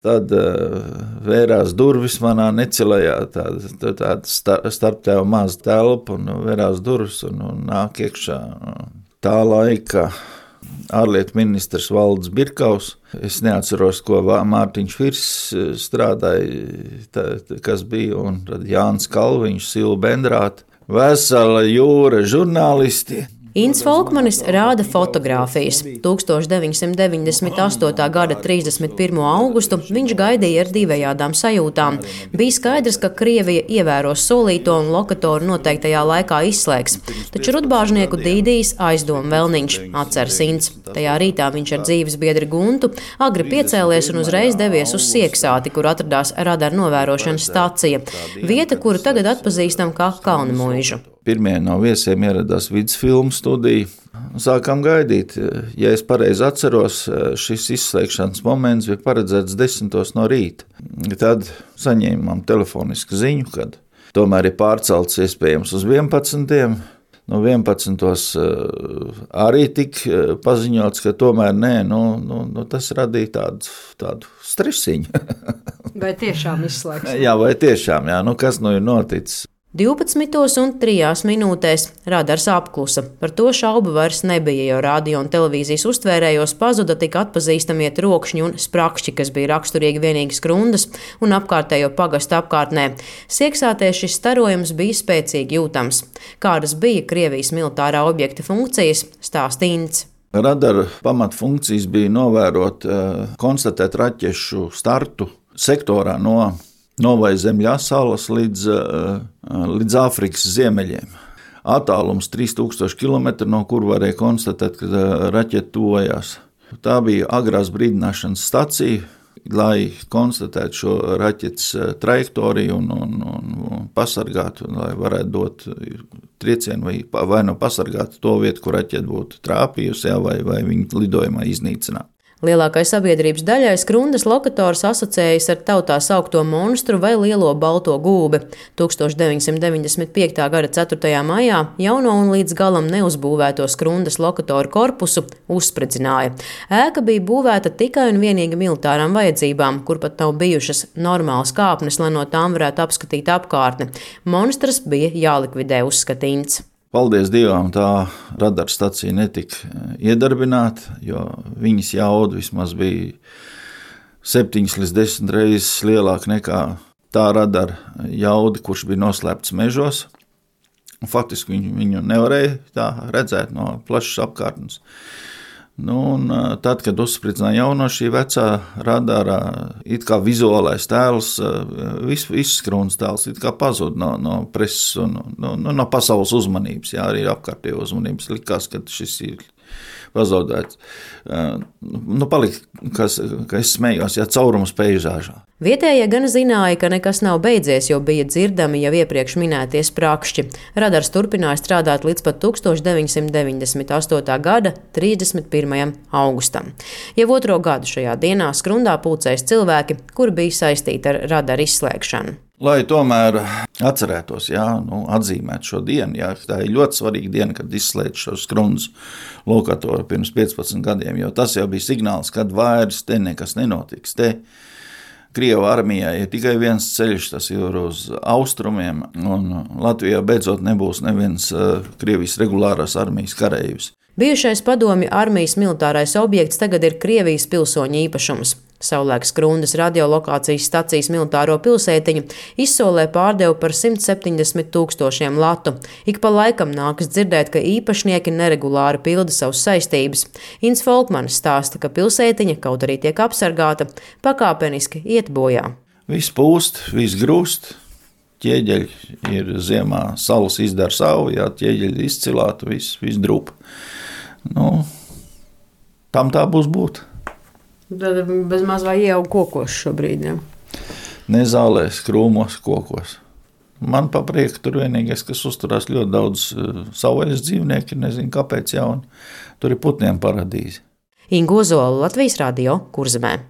Tad vērās durvis manā necelajā, tāda starptēva maza telpa, un vērās durvis un nāk iekšā tā laika ārlietu ministrs Valdis Birkaus. Es neatceros, ko Mārtiņš Firs strādāja, kas bija, un tad Jānis Kalviņš, Silva Bendrāta, vesela jūra žurnālisti. Inns Folkmanis rāda fotogrāfijas. 1998. gada 31. augustu viņš gaidīja ar divējādām sajūtām. Bija skaidrs, ka Krievija ievēros solīto un lokatoru noteiktajā laikā izslēgs. Taču rudbāžnieku dīdīs aizdomu vēlniņš, atceras Inns. Tajā rītā viņš ar dzīves biedri Guntu agri piecēlies un uzreiz devies uz Sieksāti, kur atradās radara novērošanas stacija. Vieta, kuru tagad atpazīstam kā Kalnamuižu. Pirmie no viesiem ieradās vidusfilmu studiju. Sākām gaidīt. Ja es pareizi atceros, šis izslēgšanas moments bija paredzēts 10 no rīta. Tad saņēmām telefonisku ziņu, kad tomēr ir pārcelts iespējams uz 11. No 11. arī tika paziņots, ka tomēr nē, tas radīja tādu stresiņu. Vai tiešām izslēgs? Jā, vai tiešām, kas ir noticis? 12:03 minūtēs radars apklusa. Par to šaubu vairs nebija, jo radio un televīzijas uztvērējos pazuda tik atpazīstamie trokšņi un sprakšķi, kas bija raksturīgi vienīgi Skrundas un apkārtējo pagastu apkārtnē. Sieksātē šis starojums bija spēcīgi jūtams. Kādas bija Krievijas militārā objekta funkcijas, stāsta Inns. Radara pamatfunkcijas bija novērot, konstatēt raķešu startu sektorā no Novai Zemļā salas līdz Āfrikas ziemeļiem. Attālums 3000 km, no kur varēja konstatēt, ka raķete tuvojās. Tā bija agrās brīdināšanas stacija, lai konstatētu šo raķetes trajektoriju un pasargātu, lai varētu dot triecienu vai nu pasargāt to vietu, kur raķete būtu trāpījusi, vai viņu lidojumā iznīcināt. Lielākai sabiedrības daļai Skrundas lokators asociējas ar tautā saukto monstru vai lielo balto gulbi. 1995. gada 4. maijā jauno un līdz galam neuzbūvēto Skrundas lokatoru korpusu uzspridzināja. Ēka bija būvēta tikai un vienīgi militārām vajadzībām, kur pat nav bijušas normālas kāpnes, lai no tām varētu apskatīt apkārtni. Monstrs bija jālikvidē, uzskata Inns. Paldies Dievam, tā radara stacija netika iedarbināta, jo viņas jauda vismaz bija 7 līdz 10 reizes lielāka nekā tā radara jauda, kurš bija noslēpts mežos. Faktiski viņu nevarēja tā redzēt no plašas apkārtnes. Tad, kad uzspridzināja jauno šī vecā radara, it kā vizuālais tēls, viss Skrundas tēls it kā pazuda no preses un no pasaules uzmanības, arī apkārtējo uzmanības. Likās, ka šis ir pazaudēts. Palika, ka es smējos, caurums peižāžā. Vietējie gan zināja, ka nekas nav beidzies, jo bija dzirdami jau iepriekš minētie sprakšķi. Radars turpināja strādāt līdz pat 1998. gada 31. augustam. Jau otro gadu šajā dienā Skrundā pulcējas cilvēki, kuri bija saistīti ar radara izslēgšanu. Lai tomēr atcerētos, atzīmēt šo dienu, tā ir ļoti svarīga diena, kad izslēdz šo Skrundas lokatoru pirms 15 gadiem, jo tas jau bija signāls, kad vairs te nekas nenotiks. Te Krievu armijai ir tikai viens ceļš, tas ir uz austrumiem, un Latvijā beidzot nebūs neviens Krievijas regulārās armijas kareivs. Bijušais padomju armijas militārais objekts tagad ir Krievijas pilsoņu īpašums. Savulaik Skrundas radiolokācijas stacijas militāro pilsētiņu izsolē pārdeva par 170 000 latu. Ik pa laikam nākas dzirdēt, ka īpašnieki neregulāri pilda savas saistības. Inns Folkmanis stāsta, ka pilsētiņa, kaut arī tiek apsargāta, pakāpeniski iet bojā. Viss pūst, viss grūst. Ķieģeļi ir ziemā, salas izdara savu, ķieģeļi izcilātu, viss drupa. Tam tā būs būt. Tad bez maz vai ieaug kokos šobrīd, ja? Ne zālēs, krūmos, kokos. Man pa prieku tur vienīgais, kas uzturās ļoti daudz savvaļas dzīvnieki, nezinu kāpēc jauni. Tur ir putniem paradīze. Inga Ozola, Latvijas radio, Kurzemē.